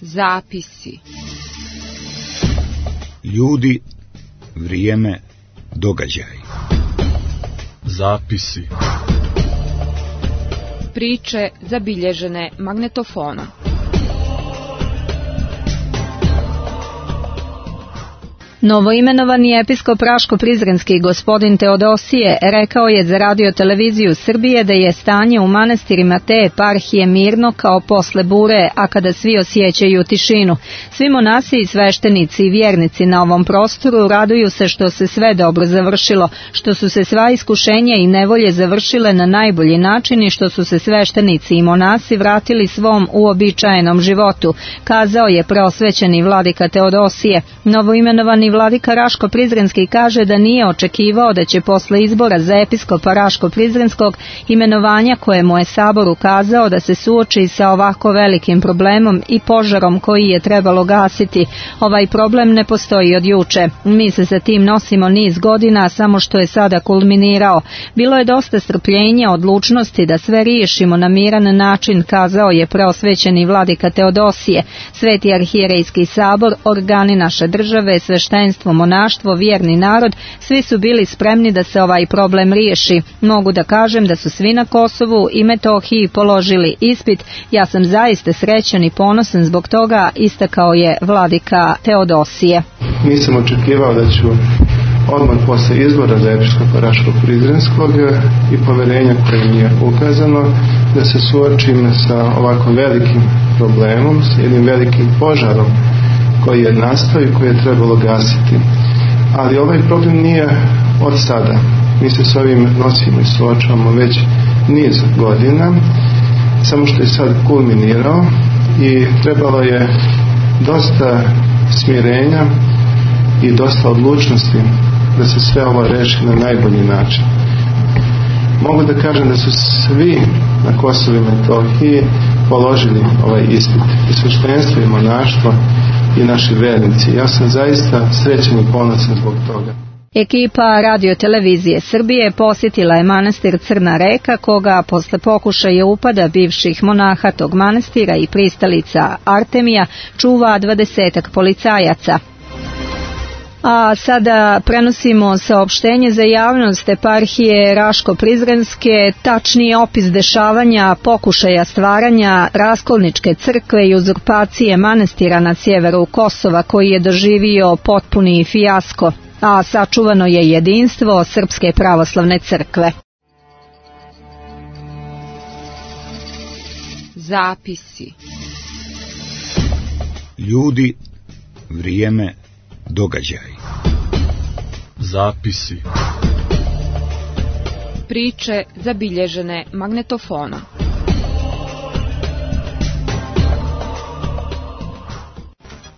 Zapisi. Ljudi, vrijeme, događaj. Zapisi. Priče zabilježene magnetofonom. Novoimenovani episkop Raško-Prizrenski gospodin Teodosije rekao je za Radio televiziju Srbije da je stanje u manastirima te eparhije mirno kao posle bure, a kada svi osjećaju tišinu. Svi monasi i sveštenici i vjernici na ovom prostoru raduju se što se sve dobro završilo, što su se sva iskušenja i nevolje završile na najbolji način i što su se sveštenici i monasi vratili svom uobičajenom životu, kazao je preosvećeni vladika Teodosije. Novoimenovani vladika Raško-Prizrenski kaže da nije očekivao da će posle izbora za episkopa Raško-Prizrenskog imenovanja koje mu je Sabor ukazao da se suoči sa ovako velikim problemom i požarom koji je trebalo gasiti. Ovaj problem ne postoji od juče. Mi se sa tim nosimo niz godina, samo što je sada kulminirao. Bilo je dosta strpljenja, odlučnosti da sve riješimo na miran način, kazao je preosvećeni vladika Teodosije. Sveti arhijerejski sabor, organi naše države, sveštenstvo, monaštvo, vjerni narod, svi su bili spremni da se ovaj problem riješi. Mogu da kažem da su svi na Kosovu i Metohiji položili ispit. Ja sam zaista srećan i ponosan zbog toga, istakao je vladika Teodosije. Nisam očekivao da ću odmah posle izbora za episkopa Raško-Prizrenskog i poverenja koje mi je ukazano da se suočim sa ovako velikim problemom, sa jednim velikim požarom koji je nastao i koji je trebalo gasiti. Ali ovaj problem nije od sada. Mi se s ovim nosimo i suočavamo već niz godina, samo što je sad kulminirao i trebalo je dosta smirenja i dosta odlučnosti da se sve ovo reši na najbolji način. Mogu da kažem da su svi na Kosovu i Metohiji položili ovaj ispit. I sveštenstvo i monaštvo i naši vernici. Ja sam zaista srećan i ponosan zbog toga. Ekipa Radio televizije Srbije posjetila je manastir Crna Reka, koga posle pokušaja upada bivših monaha tog manastira i pristalica Artemija čuva 20-ak policajaca. A sada prenosimo saopštenje za javnost eparhije Raško-Prizrenske, tačniji opis dešavanja, pokušaja stvaranja raskolničke crkve i uzurpacije manastira na sjeveru Kosova koji je doživio potpuni fijasko, a sačuvano je jedinstvo Srpske pravoslavne crkve. Zapisi. Ljudi, vrijeme, događaj. Zapisi. Priče zabilježene magnetofonom.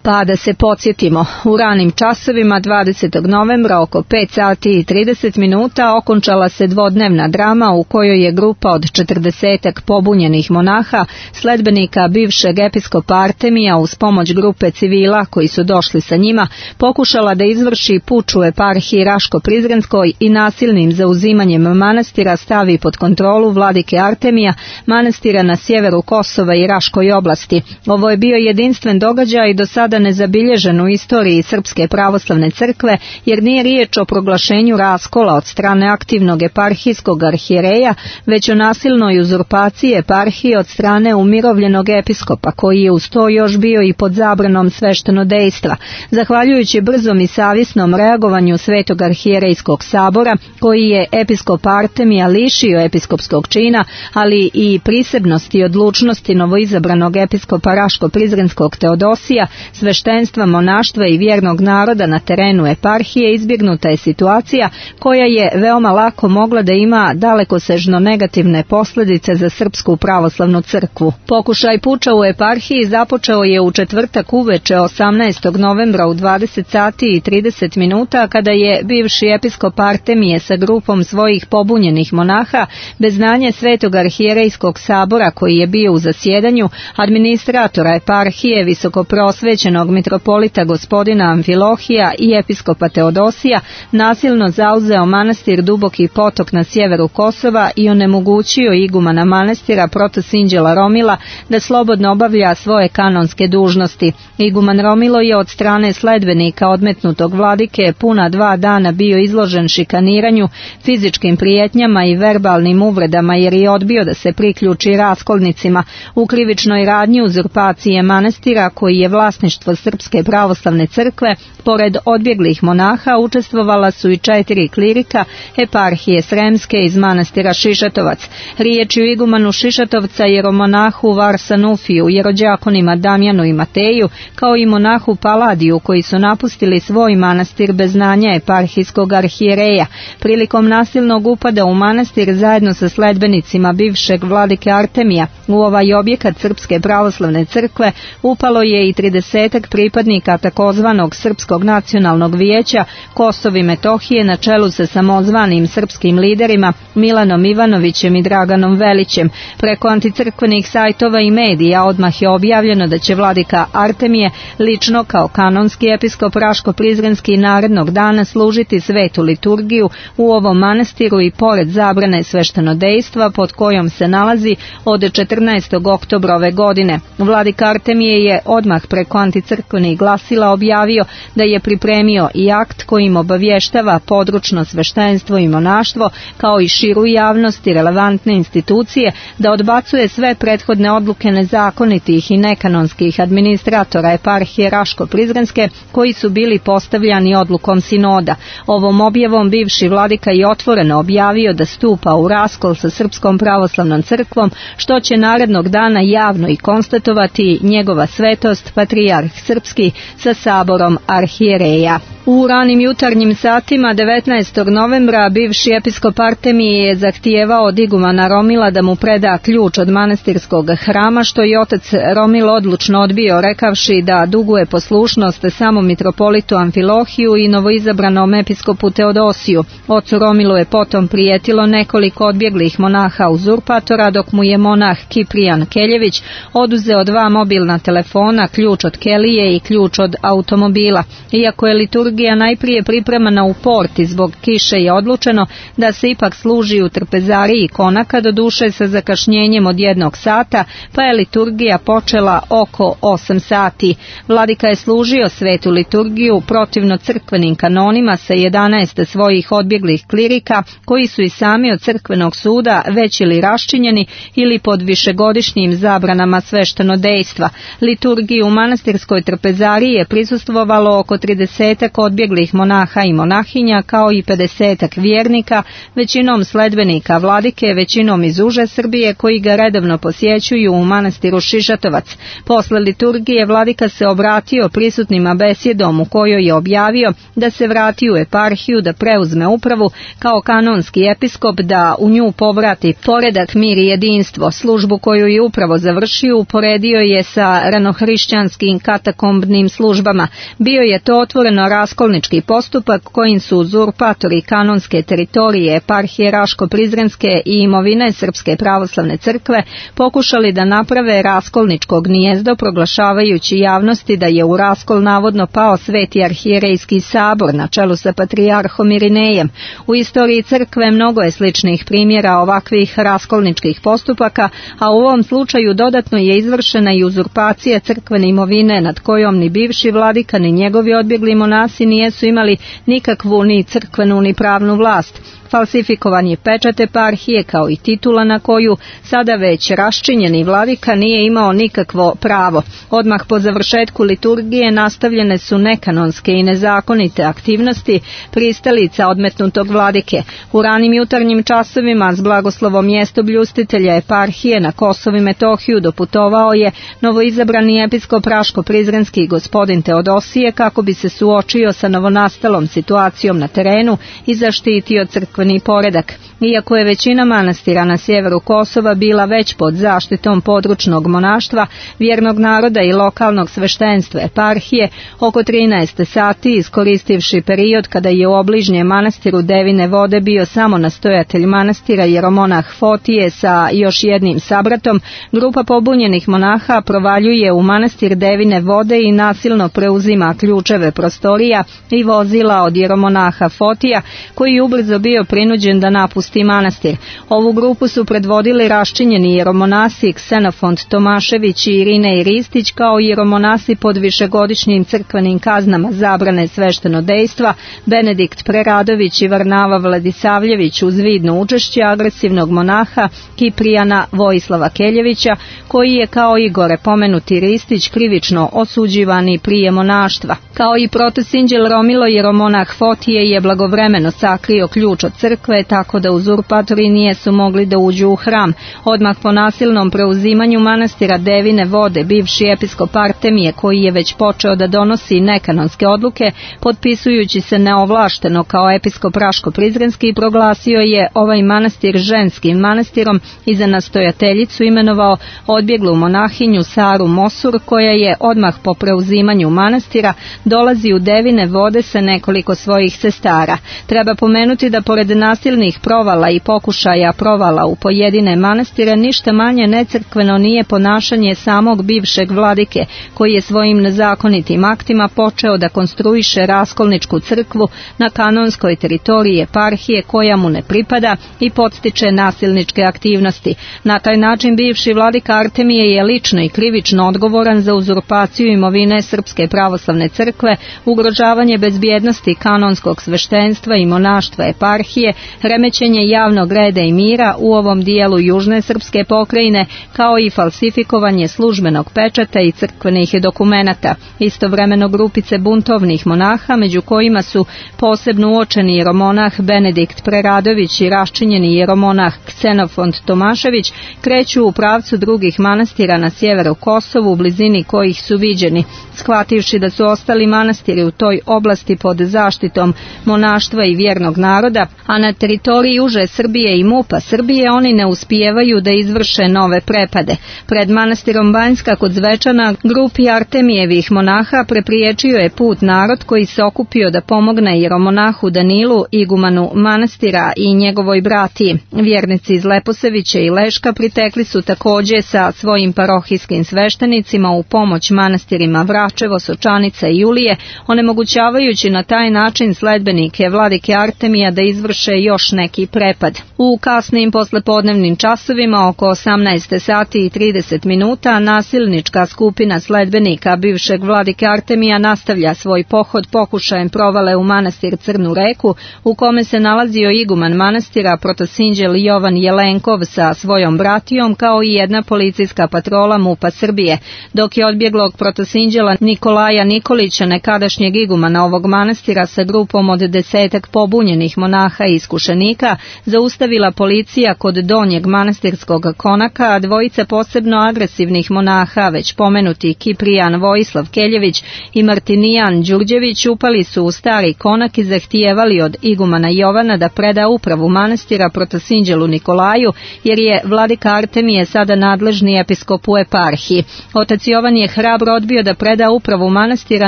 Pa da se podsjetimo, u ranim časovima 20. novembra oko 5 sati i 30 minuta okončala se dvodnevna drama u kojoj je grupa od 40-ak pobunjenih monaha, sledbenika bivšeg episkopa Artemija uz pomoć grupe civila koji su došli sa njima, pokušala da izvrši puč u eparhiji Raško-Prizrenskoj i nasilnim zauzimanjem manastira stavi pod kontrolu vladike Artemija, manastira na sjeveru Kosova i Raškoj oblasti. Ovo je bio jedinstven događaj i do sada nezabilježen u istoriji Srpske pravoslavne crkve, jer nije riječ o proglašenju raskola od strane aktivnog eparhijskog arhijereja, već o nasilnoj uzurpaciji eparhije od strane umirovljenog episkopa, koji je uz to još bio i pod zabranom sveštenodejstva. Zahvaljujući brzom i savjesnom reagovanju Svetog arhijerejskog sabora, koji je episkop Artemija lišio episkopskog čina, ali i prisebnosti i odlučnosti novoizabranog episkopa Raško-Prizrenskog Teodosija, sveštenstva, monaštva i vjernog naroda na terenu eparhije, izbjegnuta je situacija koja je veoma lako mogla da ima dalekosežno negativne posljedice za Srpsku pravoslavnu crkvu. Pokušaj puča u eparhiji započeo je u četvrtak uveče 18. novembra u 20 sati i 30 minuta kada je bivši episkop Artemije sa grupom svojih pobunjenih monaha bez znanja Svetog arhijerejskog sabora koji je bio u zasjedanju, administratora eparhije, visokoprosvećenog osvećenog mitropolita gospodina Amfilohija i episkopa Teodosija nasilno zauzeo manastir Duboki potok na sjeveru Kosova i onemogućio igumana manastira protosinđela Romila da slobodno obavlja svoje kanonske dužnosti. Iguman Romilo je od strane sledbenika odmetnutog vladike puna 2 dana bio izložen šikaniranju, fizičkim prijetnjama i verbalnim uvredama jer je odbio da se priključi raskolnicima. U krivičnoj radnji uzurpacije manastira, koji je vlasništvo Srpske pravoslavne crkve, pored odbjeglih monaha učestvovala su i 4 klirika eparhije Sremske iz manastira Šišatovac. Riječ je o igumanu Šišatovca, jeromonahu Varsanufiju, jerođakonima Damjanu i Mateju, kao i monahu Paladiju, koji su napustili svoj manastir bez znanja eparhijskog arhijereja. Prilikom nasilnog upada u manastir zajedno sa sledbenicima bivšeg vladike Artemija u ovaj objekat Srpske pravoslavne crkve upalo je i 30 pripadnika takozvanog Srpskog nacionalnog vijeća Kosovo i Metohije na čelu sa samozvanim srpskim liderima Milanom Ivanovićem i Draganom Velićem. Preko anticrkvenih sajtova i medija odmah je objavljeno da će vladika Artemije lično kao kanonski episkop Raško-Prizrenski narednog dana služiti svetu liturgiju u ovom manastiru i pored zabrane sveštenodejstva pod kojom se nalazi od 14. oktobra ove godine. Vladika Artemije je odmah preko anticrkvenih glasila objavio da je pripremio i akt kojim obavještava područno sveštenstvo i monaštvo kao i širu javnost i relevantne institucije da odbacuje sve prethodne odluke nezakonitih i nekanonskih administratora eparhije Raško-Prizrenske koji su bili postavljani odlukom sinoda. Ovom objavom bivši vladika je otvoreno objavio da stupa u raskol sa Srpskom pravoslavnom crkvom, što će narednog dana javno i konstatovati njegova svetost patrijarh srpski sa saborom arhijereja. U ranim jutarnjim satima 19. novembra bivši episkop Artemije je zahtijevao od igumana Romila da mu preda ključ od manastirskog hrama, što je otac Romil odlučno odbio, rekavši da duguje poslušnost samom mitropolitu Amfilohiju i novoizabranom episkopu Teodosiju. Ocu Romilu je potom prijetilo nekoliko odbjeglih monaha uzurpatora, dok mu je monah Kiprijan Keljević oduzeo 2 mobilna telefona, ključ od kelije i ključ od automobila. Iako je liturgija najprije pripremana u porti zbog kiše, je odlučeno da se ipak služi u trpezariji konaka, do duše sa zakašnjenjem od 1 sata, pa je liturgija počela oko 8 sati. Vladika je služio svetu liturgiju protivno crkvenim kanonima sa 11 svojih odbjeglih klirika, koji su i sami od crkvenog suda već ili raščinjeni ili pod višegodišnjim zabranama sveštenodejstva. Liturgiju u manastirskoj trpezariji je prisustvovalo oko 30 odbjeglih monaha i monahinja, kao i 50 vjernika, većinom sledbenika vladike, većinom iz uže Srbije, koji ga redovno posjećuju u manastiru Šišatovac. Posle liturgije vladika se obratio prisutnima besjedom u kojoj je objavio da se vrati u eparhiju, da preuzme upravu kao kanonski episkop, da u nju povrati poredak, mir i jedinstvo. Službu koju je upravo završio uporedio je sa ranohrišćanskim katakombnim službama. Bio je to otvoreno raskolnički postupak kojim su uzurpatori kanonske teritorije eparhije Raško-Prizrenske i imovine Srpske pravoslavne crkve pokušali da naprave raskolničko gnijezdo, proglašavajući javnosti da je u raskol navodno pao Sveti arhijerejski sabor na čelu sa patrijarhom Irinejem. U istoriji crkve mnogo je sličnih primjera ovakvih raskolničkih postupaka, a u ovom slučaju dodatno je izvršena i uzurpacija crkvene imovine nad kojom ni bivši vladika ni njegovi odbjegli monasi nijesu imali nikakvu ni crkvenu ni pravnu vlast. Falsifikovan je pečat eparhije kao i titula na koju sada već raščinjeni vladika nije imao nikakvo pravo. Odmah po završetku liturgije nastavljene su nekanonske i nezakonite aktivnosti pristalica odmetnutog vladike. U ranim jutarnjim časovima s blagoslovom mjestobljustitelja eparhije na Kosovo i Metohiju doputovao je novoizabrani episkop Raško-Prizrenski gospodin Teodosije kako bi se suočio sa novonastalom situacijom na terenu i zaštitio crkve crkveni poredak. Iako je većina manastira na sjeveru Kosova bila već pod zaštitom područnog monaštva, vjernog naroda i lokalnog sveštenstva eparhije, oko 13 sati, iskoristivši period kada je u obližnjem manastiru Devine vode bio samo nastojatelj manastira jeromonah Fotije sa još jednim sabratom, grupa pobunjenih monaha provaljuje u manastir Devine vode i nasilno preuzima ključeve prostorija i vozila od jeromonaha Fotija, koji je ubrzo bio prinuđen da napusti manastir. Ovu grupu su predvodili raščinjeni jeromonasi Ksenofont Tomašević i Irinej Ristić, kao i jeromonasi pod višegodišnjim crkvenim kaznama zabrane sveštenodejstva, Benedikt Preradović i Varnava Vladisavljević, uz vidno učešće agresivnog monaha Kiprijana Vojislava Keljevića, koji je kao i gore pomenuti Ristić krivično osuđivani prije monaštva. Kao i protosinđel Romilo, jeromonah Fotije je blagovremeno sakrio ključ od crkve, tako da uzurpatori nijesu mogli da uđu u hram. Odmah po nasilnom preuzimanju manastira Devine vode, bivši episkop Artemije, koji je već počeo da donosi nekanonske odluke, potpisujući se neovlašteno kao episkop Raško-Prizrenski, proglasio je ovaj manastir ženskim manastirom i za nastojateljicu imenovao odbjeglu monahinju Saru Mosur, koja je odmah po preuzimanju manastira dolazi u Devine vode sa nekoliko svojih sestara. Treba pomenuti da pored nasilnih provala i pokušaja provala u pojedine manastire, ništa manje necrkveno nije ponašanje samog bivšeg vladike, koji je svojim nezakonitim aktima počeo da konstruiše raskolničku crkvu na kanonskoj teritoriji eparhije koja mu ne pripada i podstiče nasilničke aktivnosti. Na taj način bivši vladika Artemije je lično i krivično odgovoran za uzurpaciju imovine Srpske pravoslavne crkve, ugrožavanje bezbjednosti kanonskog sveštenstva i monaštva eparhije, remećenje javnog reda i mira u ovom dijelu južne srpske pokrajine, kao i falsifikovanje službenog pečata i crkvenih dokumenata. Istovremeno grupice buntovnih monaha, među kojima su posebno uočeni jeromonah Benedikt Preradović i raščinjeni jeromonah Ksenofont Tomašević, kreću u pravcu drugih manastira na sjeveru Kosovu, u blizini kojih su viđeni. Shvativši da su ostali manastiri u toj oblasti pod zaštitom monaštva i vjernog naroda, a na teritoriji uže Srbije i MUP-a Srbije oni ne uspijevaju da izvrše nove prepade. Pred manastirom Banjska kod Zvečana grupi Artemijevih monaha prepriječio je put narod koji se okupio da pomogne jeromonahu Danilu, igumanu manastira i njegovoj bratiji. Vjernici iz Leposevića i Leška pritekli su također sa svojim parohijskim sveštenicima u pomoć manastirima Vračevo, Sočanica i Julije, onemogućavajući na taj način sledbenike vladike Artemija da izvrše još neki prepad. U kasnim poslepodnevnim časovima, oko 18 sati i 30 minuta, nasilnička skupina sledbenika bivšeg vladike Artemija nastavlja svoj pohod pokušajem provale u manastir Crnu Reku, u kome se nalazio iguman manastira protosinđel Jovan Jelenkov sa svojom bratijom, kao i jedna policijska patrola MUP-a Srbije, dok je odbjeglog protosinđela Nikolaja Nikolića, nekadašnjeg igumana ovog manastira, sa grupom od 10 pobunjenih monaha i iskušenika zaustavila policija kod donjeg manastirskog konaka, a dvojica posebno agresivnih monaha, već pomenuti Kiprijan Vojislav Keljević i Martinijan Đurđević, upali su u stari konak i zahtijevali od igumana Jovana da preda upravu manastira protosinđelu Nikolaju, jer je vladika Artemije sada nadležni episkop u eparhiji. Otac Jovan je hrabro odbio da preda upravu manastira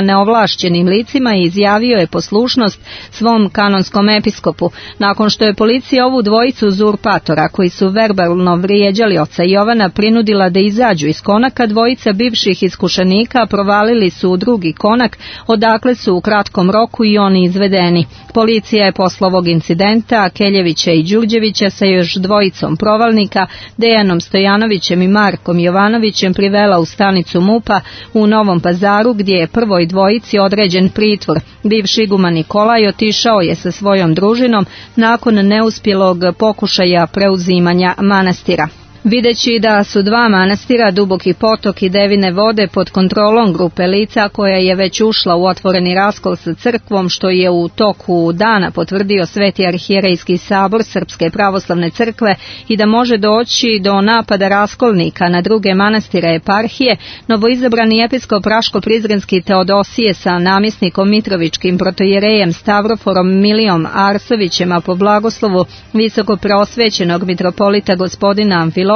neovlašćenim licima i izjavio je poslušnost svom kanonskom episkopu. Nakon što je policija ovu dvojicu uzurpatora, koji su verbalno vrijeđali oca Jovana, prinudila da izađu iz konaka, dvojica bivših iskušenika provalili su u drugi konak, odakle su u kratkom roku i oni izvedeni. Policija je posle ovog incidenta Keljevića i Đurđevića sa još dvojicom provalnika, Dejanom Stojanovićem i Markom Jovanovićem, privela u stanicu MUP-a u Novom Pazaru, gdje je prvoj dvojici određen pritvor. Bivši iguman Nikolaj otišao je sa svojom družinom nakon neuspjelog pokušaja preuzimanja manastira. Videći da su dva manastira, Duboki potok i Devine vode, pod kontrolom grupe lica koja je već ušla u otvoreni raskol sa crkvom, što je u toku dana potvrdio Sveti arhijerejski sabor Srpske pravoslavne crkve, i da može doći do napada raskolnika na druge manastire eparhije, novoizabrani episkop Raško-Prizrenski Teodosije sa namjesnikom Mitrovičkim protojerejem Stavroforom Milijom Arsovićem, a po blagoslovu visoko preosvećenog mitropolita gospodina Amfilohija,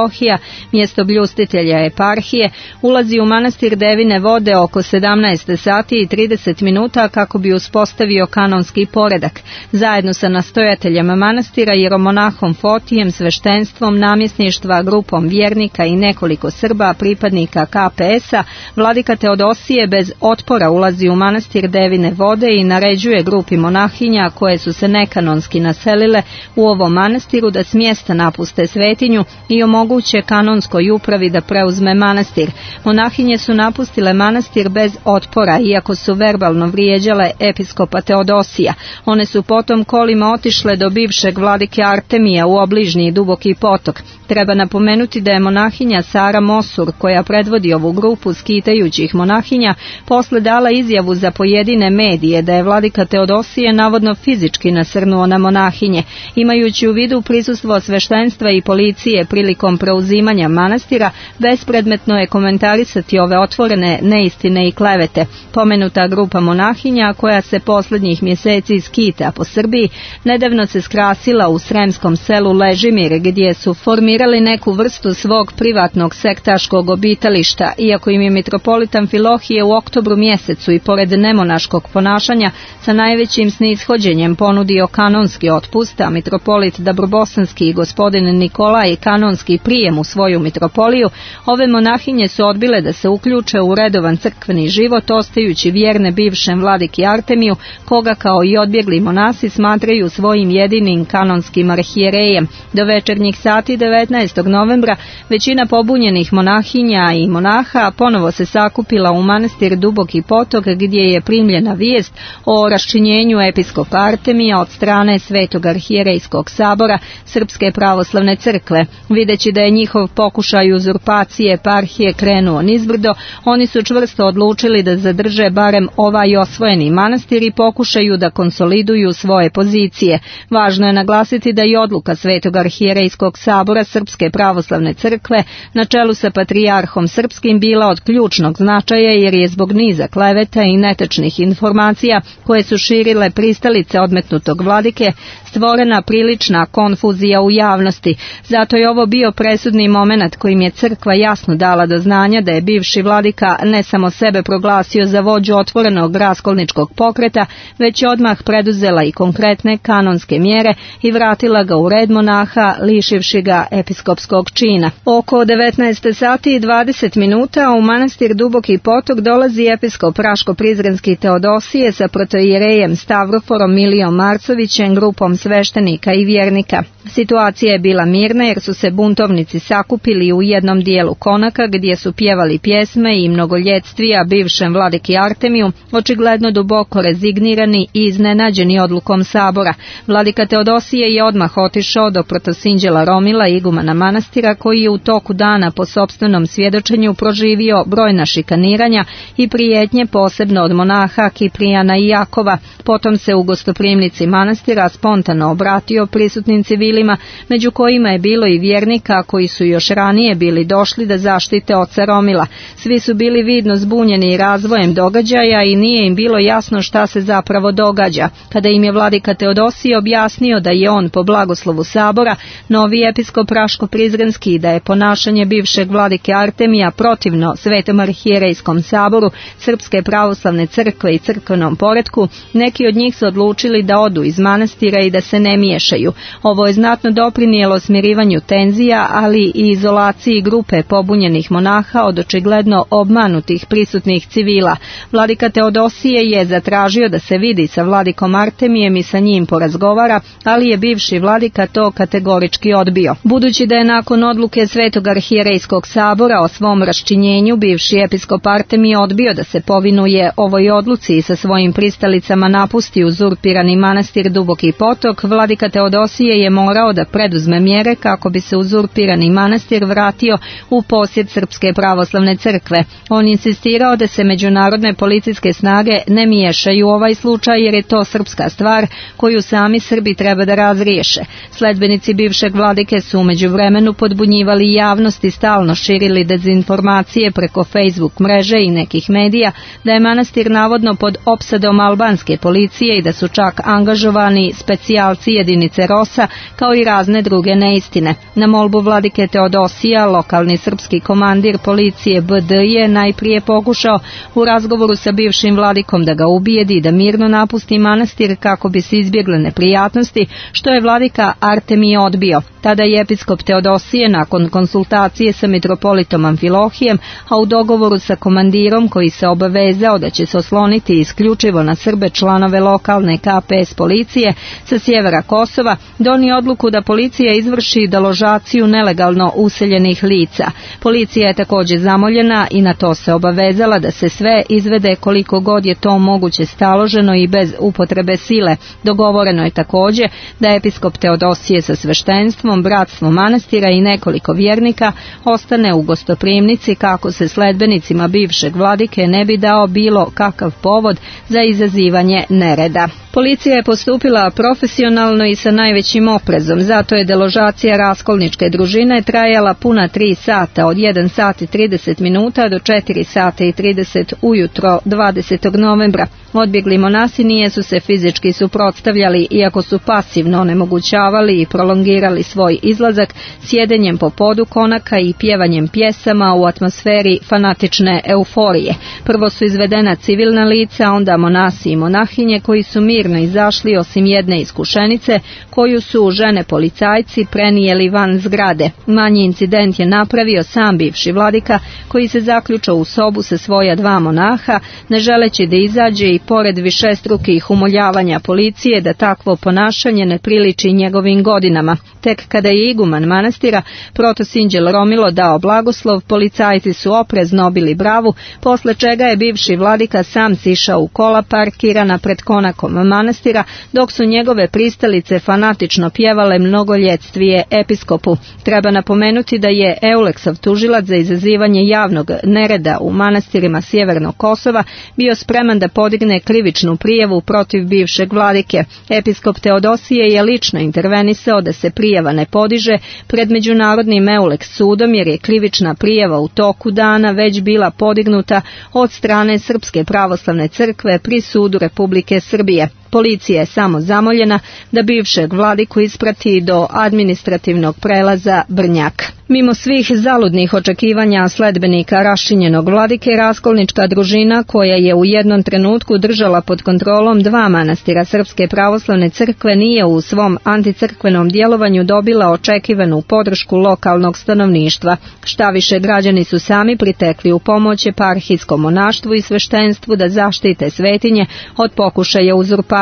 mjesto bljustitelja eparhije, ulazi u manastir Devine vode oko 17 sati i 30 minuta kako bi uspostavio kanonski poredak. Zajedno sa nastojateljem manastira, jeromonahom Fotijem, sveštenstvom, namjesništva, grupom vjernika i nekoliko Srba, pripadnika KPS-a, vladika Teodosije bez otpora ulazi u manastir Devine vode i naređuje grupi monahinja koje su se nekanonski naselile u ovom manastiru da s mjesta napuste svetinju i omoguće kanonskoj upravi da preuzme manastir. Monahinje su napustile manastir bez otpora, iako su verbalno vrijeđale episkopa Teodosija. One su potom kolima otišle do bivšeg vladike Artemija u obližnji Duboki potok. Treba napomenuti da je monahinja Sara Mosur, koja predvodi ovu grupu skitajućih monahinja, posle dala izjavu za pojedine medije da je vladika Teodosije navodno fizički nasrnuo na monahinje. Imajući u vidu prisustvo sveštenstva i policije prilikom preuzimanja manastira, bespredmetno je komentarisati ove otvorene neistine i klevete. Pomenuta grupa monahinja, koja se posljednjih mjeseci skita po Srbiji, nedavno se skrasila u sremskom selu Ležimir, gdje su formirali neku vrstu svog privatnog sektaškog obitališta, iako im je mitropolit Amfilohije u oktobru mjesecu i pored nemonaškog ponašanja sa najvećim snishođenjem ponudio kanonski otpust, a mitropolit Dabrobosanski i gospodin Nikolaj kanonski prijem u svoju mitropoliju, ove monahinje su odbile da se uključe u redovan crkveni život, ostajući vjerne bivšem vladiki Artemiju, koga kao i odbjegli monasi smatraju svojim jedinim kanonskim arhijerejem. Do večernjih sati 19. novembra većina pobunjenih monahinja i monaha ponovo se sakupila u manastir Duboki potok, gdje je primljena vijest o raščinjenju episkopa Artemija od strane Svetog arhijerejskog sabora Srpske pravoslavne crkve. Videći da je njihov pokušaj uzurpacije eparhije krenuo nizbrdo, oni su čvrsto odlučili da zadrže barem ovaj osvojeni manastir i pokušaju da konsoliduju svoje pozicije. Važno je naglasiti da je odluka Svetog arhijerejskog sabora Srpske pravoslavne crkve na čelu sa patrijarhom srpskim bila od ključnog značaja, jer je zbog niza kleveta i netačnih informacija koje su širile pristalice odmetnutog vladike stvorena prilična konfuzija u javnosti. Zato je ovo bio presudni momenat kojim je crkva jasno dala do znanja da je bivši vladika ne samo sebe proglasio za vođu otvorenog raskolničkog pokreta, već je odmah preduzela i konkretne kanonske mjere i vratila ga u red monaha, lišivši ga episkopskog čina. Oko 19 sati i 20 minuta u manastir Duboki potok dolazi episkop Raško-Prizrenski Teodosije sa protojerejem Stavroforom Milijom Marcovićem, grupom sveštenika i vjernika. Situacija je bila mirna jer su se buntovnici sakupili u jednom dijelu konaka gdje su pjevali pjesme i mnogoljetstija bivšem vladiki Artemiju, očigledno duboko rezignirani i iznenađeni odlukom sabora. Vladika Teodosije je odmah otišao do protosinđela Romila, igumana manastira, koji je u toku dana po sopstvenom svjedočenju proživio brojna šikaniranja i prijetnje, posebno od monaha Kiprijana i Jakova. Potom se u gostoprimnici manastira spontano obratio prisutnim civilima, među kojima je bilo i vjernika koji su još ranije bili došli da zaštite oca Romila. Svi su bili vidno zbunjeni razvojem događaja i nije im bilo jasno šta se zapravo događa. Kada im je vladika Teodosije objasnio da je on po blagoslovu sabora novi episkop Raško-Prizrenski i da je ponašanje bivšeg vladike Artemija protivno Svetom arhijerejskom saboru Srpske pravoslavne crkve i crkvenom poretku, neki od njih su odlučili da odu iz manastira i da se ne miješaju. Ovo je znatno doprinijelo smirivanju tenzija, ali i izolaciji grupe pobunjenih monaha od očigledno obmanutih prisutnih civila. Vladika Teodosije je zatražio da se vidi sa vladikom Artemijem i sa njim porazgovara, ali je bivši vladika to kategorički odbio. Budući da je nakon odluke Svetog arhijerejskog sabora o svom raščinjenju bivši episkop Artemij odbio da se povinuje ovoj odluci i sa svojim pristalicama napusti uzurpirani manastir Duboki potok, istok, vladika Teodosije je morao da preduzme mjere kako bi se uzurpirani manastir vratio u posjed Srpske pravoslavne crkve. On insistirao da se međunarodne policijske snage ne miješaju u ovaj slučaj jer je to srpska stvar koju sami Srbi treba da razriješe. Sledbenici bivšeg vladike su u međuvremenu podbunjivali javnost i stalno širili dezinformacije preko Facebook mreže i nekih medija da je manastir navodno pod opsadom albanske policije i da su čak angažovani specijalci jedinice ROSA kao i razne druge neistine. Na molbu vladike Teodosija, lokalni srpski komandir policije BD je najprije pokušao u razgovoru sa bivšim vladikom da ga ubijedi da mirno napusti manastir kako bi se izbjegle neprijatnosti, što je vladika Artemije odbio. Tada je episkop Teodosije nakon konsultacije sa mitropolitom Amfilohijem, a u dogovoru sa komandirom koji se obavezao da će se osloniti isključivo na Srbe članove lokalne KPS policije sa sjevera Kosova, donio odluku da policija izvrši deložaciju nelegalno useljenih lica. Policija je također zamoljena i na to se obavezala da se sve izvede koliko god je to moguće staloženo i bez upotrebe sile. Dogovoreno je također da episkop Teodosije sa sveštenstvom, bratstvom manastira i nekoliko vjernika ostane u gostoprimnici kako se sledbenicima bivšeg vladike ne bi dao bilo kakav povod za izazivanje nereda. Policija je postupila profesionalno i sa najvećim oprezom, zato je deložacija raskolničke družine trajala puna 3 sata, od 1 sat i 30 minuta do 4 sata i 30 ujutro 20. novembra. Odbjegli monasi nijesu se fizički suprotstavljali, iako su pasivno onemogućavali i prolongirali svoj izlazak sjedenjem po podu konaka i pjevanjem pjesama u atmosferi fanatične euforije. Prvo su izvedena civilna lica, onda monasi i monahinje koji su mirno izašli osim jedne iskušenice koju su žene policajci prenijeli van zgrade. Manji incident je napravio sam bivši vladika koji se zaključao u sobu sa svoja 2 monaha, ne želeći da izađe i pored višestrukih umoljavanja policije da takvo ponašanje ne priliči njegovim godinama. Tek kada je iguman manastira protosinđel Romilo dao blagoslov, policajci su oprezno obili bravu, posle čega je bivši vladika sam sišao u kola parkirana pred konakom manastira, dok su njegove pristalice fanatično pjevale mnogoljetvije episkopu. Treba napomenuti da je Euleksov tužilac za izazivanje javnog nereda u manastirima Sjevernog Kosova bio spreman da podigne krivičnu prijavu protiv bivšeg vladike. Episkop Teodosije je lično intervenisao da se prijava ne podiže pred međunarodnim Euleks sudom jer je krivična prijava u toku dana već bila podignuta od strane Srpske pravoslavne crkve pri sudu Republike Srbije. Policija je samo zamoljena da bivšeg vladiku isprati do administrativnog prelaza Brnjak. Mimo svih zaludnih očekivanja sledbenika raščinjenog vladike, raskolnička družina koja je u jednom trenutku držala pod kontrolom 2 manastira Srpske pravoslavne crkve nije u svom anticrkvenom djelovanju dobila očekivanu podršku lokalnog stanovništva. Štaviše, građani su sami pritekli u pomoć eparhijskom monaštvu i sveštenstvu da zaštite svetinje od pokušaja uzurpacije.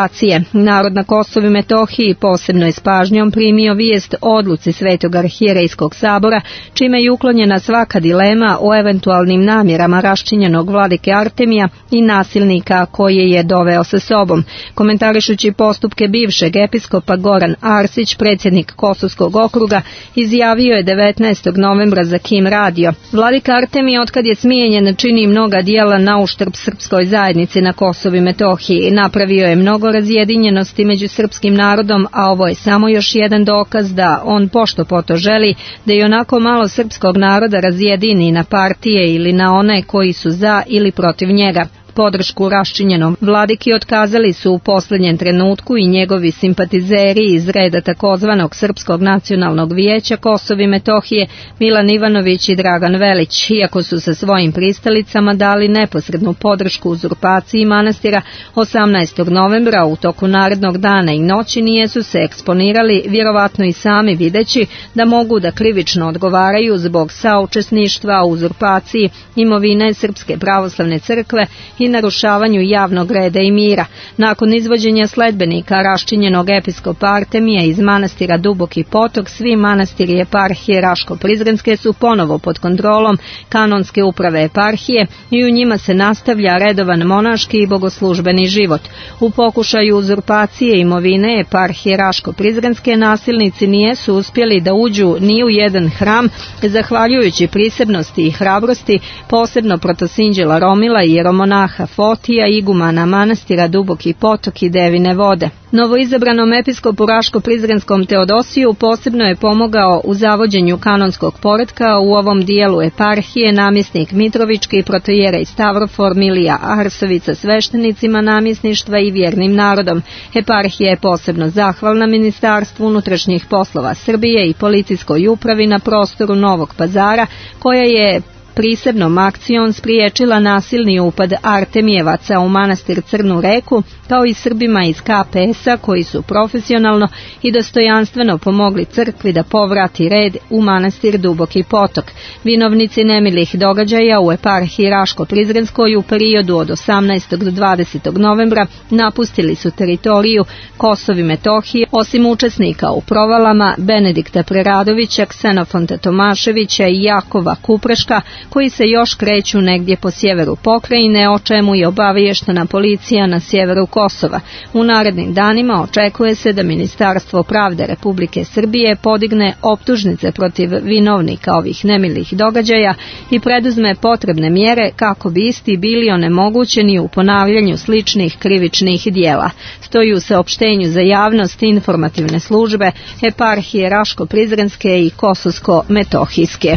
Narod na Kosovu i Metohiji posebno je s pažnjom primio vijest o odluci Svetog arhijerejskog sabora, čime je uklonjena svaka dilema o eventualnim namjerama raščinjenog vladike Artemija i nasilnika koje je doveo sa sobom. Komentarišući postupke bivšeg episkopa, Goran Arsić, predsjednik Kosovskog okruga, izjavio je 19. novembra za Kim radio: Vladika Artemij otkad je smijenjen čini mnoga djela na uštrb srpskoj zajednici na Kosovu i Metohiji. Napravio je mnogo razjedinjenosti među srpskim narodom, a ovo je samo još jedan dokaz da on pošto poto želi da i onako malo srpskog naroda razjedini na partije ili na one koji su za ili protiv njega. Podršku raščinjenom vladiki otkazali su u posljednjem trenutku i njegovi simpatizeri iz reda takozvanog Srpskog nacionalnog vijeća Kosova i Metohije Milan Ivanović i Dragan Velić, iako su sa svojim pristalicama dali neposrednu podršku uzurpaciji manastira 18. novembra. U toku narednog dana i noći nijesu se eksponirali, vjerovatno i sami videći da mogu da krivično odgovaraju zbog saučesništva u uzurpaciji imovine Srpske pravoslavne crkve i i narušavanju javnog reda i mira. Nakon izvođenja sledbenika raščinjenog episkopa Artemija iz manastira Duboki Potok, svi manastiri eparhije Raško-Prizrenske su ponovo pod kontrolom kanonske uprave eparhije i u njima se nastavlja redovan monaški i bogoslužbeni život. U pokušaju uzurpacije imovine eparhije Raško-Prizrenske nasilnici nijesu uspjeli da uđu ni u jedan hram, zahvaljujući prisebnosti i hrabrosti posebno protosinđela Romila i jeromonaha Fotija, igumana manastira Duboki Potok i Devine vode. Novoizabranom episkopu Raško-Prizrenskom Teodosiju posebno je pomogao u zavođenju kanonskog poretka u ovom dijelu eparhije namjesnik Mitrovički, protojerej Stavrofor Milija Arsovica sveštenicima namjesništva i vjernim narodom. Eparhija je posebno zahvalna Ministarstvu unutrašnjih poslova Srbije i policijskoj upravi na prostoru Novog Pazara, koja je prisebnom akcijom spriječila nasilni upad Artemijevaca u manastir Crnu Reku, kao i Srbima iz KPS-a koji su profesionalno i dostojanstveno pomogli crkvi da povrati red u manastir Duboki Potok. Vinovnici nemilih događaja u eparhiji Raško-Prizrenskoj u periodu od 18. do 20. novembra napustili su teritoriju Kosova i Metohije, osim učesnika u provalama Benedikta Preradovića, Ksenofonta Tomaševića i Jakova Kupreška, koji se još kreću negdje po sjeveru pokrajine, o čemu je obaviještena policija na sjeveru Kosova. U narednim danima očekuje se da Ministarstvo pravde Republike Srbije podigne optužnice protiv vinovnika ovih nemilih događaja i preduzme potrebne mjere kako bi isti bili onemogućeni u ponavljanju sličnih krivičnih dijela. Stoji u saopštenju za javnost informativne službe eparhije Raško-Prizrenske i Kosovsko-Metohijske.